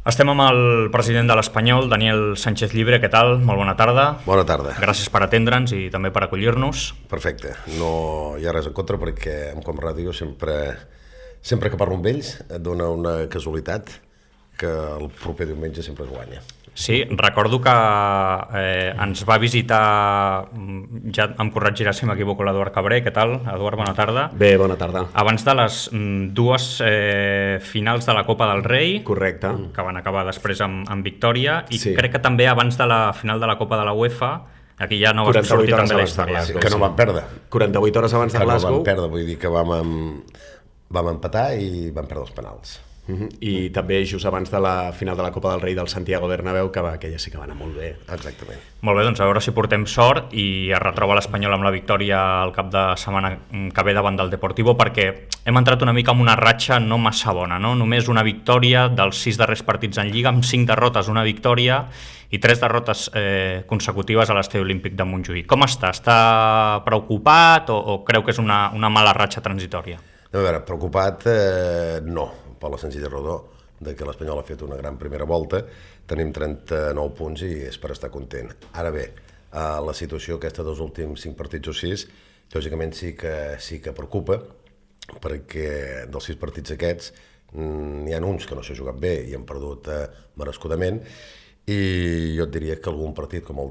Estem amb el president de l'Espanyol, Daniel Sánchez Llibre. Què tal? Molt bona tarda. Bona tarda. Gràcies per atendre'ns i també per acollir-nos. Perfecte. No hi ha res en contra perquè amb Com Ràdio sempre que parlo amb ells et dona una casualitat que el proper diumenge sempre es guanya. Sí, recordo que ens va visitar, ja em corregirà si m'equivoco, l'Eduard Cabré. Què tal, Eduard? Bona tarda. Bé, bona tarda. Abans de les dues finals de la Copa del Rei, Correcte. Que van acabar després amb victòria, i Sí. crec que també abans de la final de la Copa de la UEFA, aquí ja no va 48 sortir hores també la abans de història. Glasgow. Que no van perdre. 48 hores abans de Que no Glasgow. van perdre, vull dir que vam empatar i vam perdre els penals. I també just abans de la final de la Copa del Rei del Santiago Bernabéu, que aquella sí que va anar molt bé. Exactament. Molt bé, doncs a veure si portem sort i es retroba l'Espanyol amb la victòria al cap de setmana que ve davant del Deportivo, perquè hem entrat una mica en una ratxa no massa bona, no? Només una victòria dels 6 darrers partits en Lliga, amb 5 derrotes, una victòria i 3 derrotes consecutives a l'Estadi Olímpic de Montjuïc. Com està? Està preocupat o creu que és una mala ratxa transitòria? A veure, preocupat no, per la senzilla raó de que l'Espanyol ha fet una gran primera volta, tenim 39 punts i és per estar content. Ara bé, la situació aquesta dels últims 5 partits o 6, lògicament sí que preocupa, perquè dels 6 partits aquests n'hi ha uns que no s'ha jugat bé i han perdut merescudament, i jo et diria que algun partit com el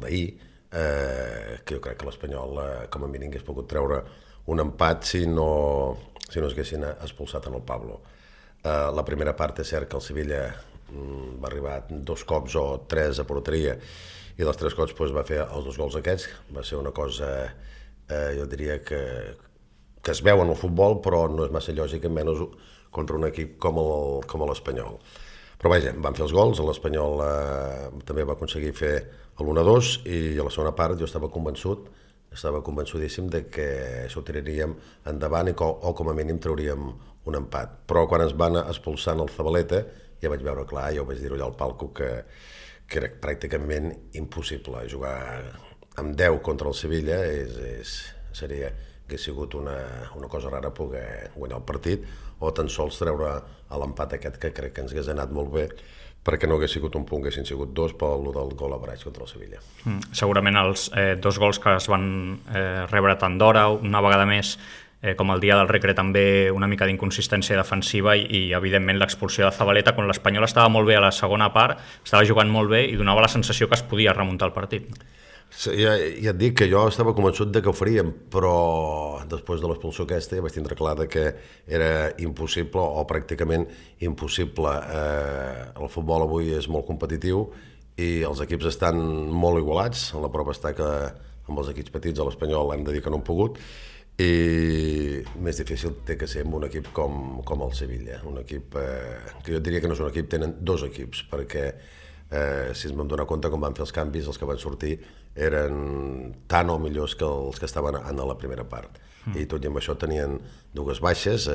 d'ahir, que jo crec que l'Espanyol com a mínim hagués pogut treure un empat si no es haguessin expulsat en el Pablo. La primera part és cert que el Sevilla va arribar 2 cops o 3 a porteria i dels 3 cops va fer els 2 gols aquests. Va ser una cosa, jo diria que es veu en el futbol, però no és massa lògic, menys contra un equip com l'Espanyol. Però vaja, van fer els gols, l'Espanyol també va aconseguir fer l'1-2 i a la segona part jo estava convençudíssim de que s'ho tiraríem endavant o com a mínim trauríem un empat. Però quan ens van expulsar el Zabaleta ja vaig veure clar, ja ho vaig dir allà al palco, que era pràcticament impossible jugar amb 10 contra el Sevilla. Hauria sigut una cosa rara poder guanyar el partit o tan sols treure l'empat aquest, que crec que ens hagués anat molt bé, perquè no hagués sigut un punt, haguessin sigut 2 per lo del gol average contra el Sevilla. Segurament els 2 gols que es van rebre tant d'hora, una vegada més, com el dia del Recre, també una mica d'inconsistència defensiva i evidentment l'expulsió de Zabaleta, quan l'Espanyol estava molt bé a la segona part, estava jugant molt bé i donava la sensació que es podia remuntar el partit. Sí, ja et dic que jo estava convençut de que ho faríem, però després de l'expulsió aquesta ja vaig tindre clar que era impossible o pràcticament impossible. El futbol avui és molt competitiu i els equips estan molt igualats. La prova està que amb els equips petits a l'Espanyol hem de dir que no han pogut, i més difícil té que ser amb un equip com el Sevilla, un equip que jo diria que no és un equip, tenen 2 equips, perquè si ens vam donar compte com van fer els canvis, els que van sortir eren tan o millors que els que estaven en la primera part, i tot i amb això tenien 2 baixes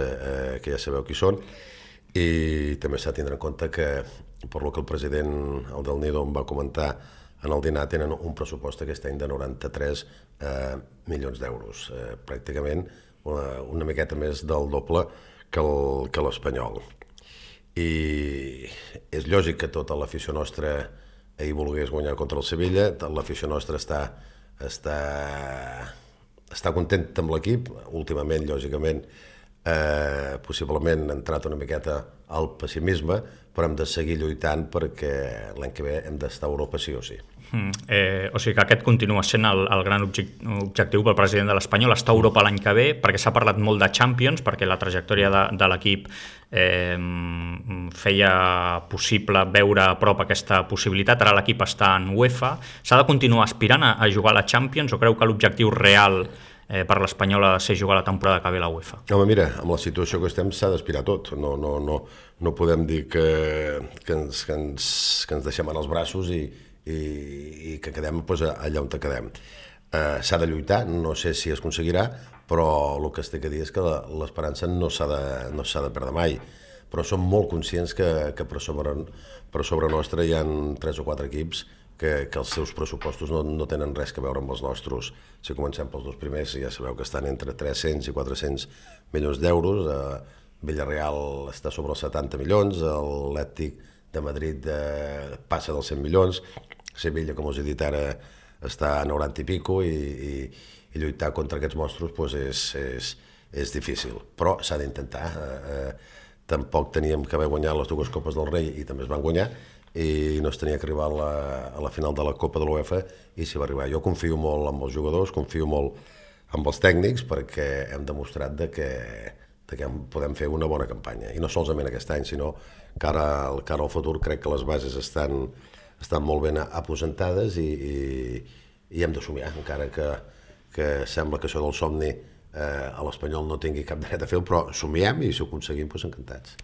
que ja sabeu qui són, i també s'ha de tindre en compte que, per lo que el president, el del Nido, em va comentar en el dinar, tenen un pressupost aquest any de 93 milions d'euros, pràcticament una miqueta més del doble que l'Espanyol. I és lògic que tota l'afició nostra ahir volgués guanyar contra el Sevilla, l'afició nostra està contenta amb l'equip. Últimament, lògicament, possiblement ha entrat una miqueta al pessimisme, però hem de seguir lluitant perquè l'any que ve hem d'estar a Europa sí o sí. O sigui que aquest continua sent el gran objectiu pel president de l'Espanyol, estar a Europa l'any que ve, perquè s'ha parlat molt de Champions, perquè la trajectòria de l'equip feia possible veure a prop aquesta possibilitat. Ara l'equip està en UEFA. S'ha de continuar aspirant a jugar a la Champions, o creu que l'objectiu real per l'Espanyol ha de ser jugar la temporada que ve a la UEFA? Home, mira, amb la situació que estem s'ha d'aspirar a tot. No podem dir que ens deixem en els braços i que quedem allà on quedem. S'ha de lluitar, no sé si es aconseguirà, però el que es té que dir és que l'esperança no s'ha de perdre mai. Però som molt conscients que per sobre nostre hi ha 3 o 4 equips que els seus pressupostos no tenen res a veure amb els nostres. Si comencem pels 2 primers, ja sabeu que estan entre 300 i 400 milions d'euros, Villarreal està sobre els 70 milions, l'Atlètic de Madrid passa dels 100 milions, Sevilla, com us he dit ara, està a 90 i pico i lluitar contra aquests monstruos és difícil, però s'ha d'intentar. Tampoc teníem que haver guanyat les dues Copes del Rei i també es van guanyar, i no es tenia que arribar a la final de la Copa de l'UEFA i s'hi va arribar. Jo confio molt en els jugadors, confio molt en els tècnics, perquè hem demostrat que podem fer una bona campanya, i no solament aquest any, sinó que ara al futur crec que les bases estan molt ben aposentades i hem de somiar, encara que sembla que això del somni a l'Espanyol no tingui cap dret a fer-ho, però somiem i si ho aconseguim, doncs encantats.